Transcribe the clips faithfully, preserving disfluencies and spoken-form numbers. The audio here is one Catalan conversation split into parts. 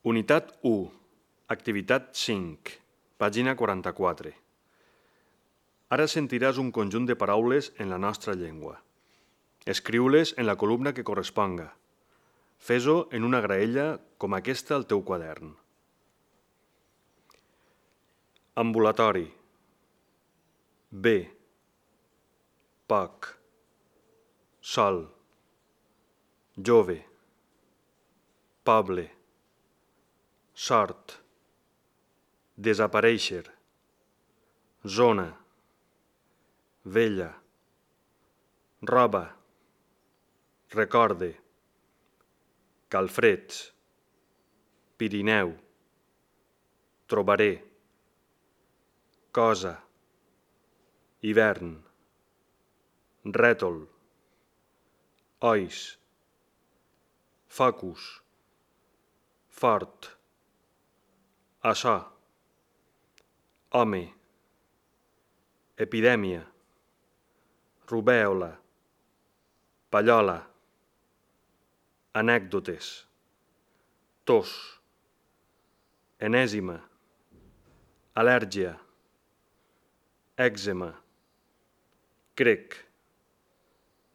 Unitat u, activitat cinc, pàgina quaranta-quatre. Ara sentiràs un conjunt de paraules en la nostra llengua. Escriu-les en la columna que corresponga. Fes-ho en una graella com aquesta al teu quadern. Ambulatori. Bé. Poc. Sol. Jove. Poble. Sort. Desaparèixer. Zona. Vella. Roba. Recorde. Calfreds. Pirineu. Trobaré. Cosa. Hivern. Rètol. Ois. Focus. Fort. Açò. Home. Epidèmia. Rubèola. Pallola. Anècdotes. Tos. Enèsima. Al·lèrgia. Èczema. Crec.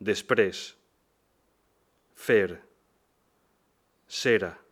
Després. Fer. Cera.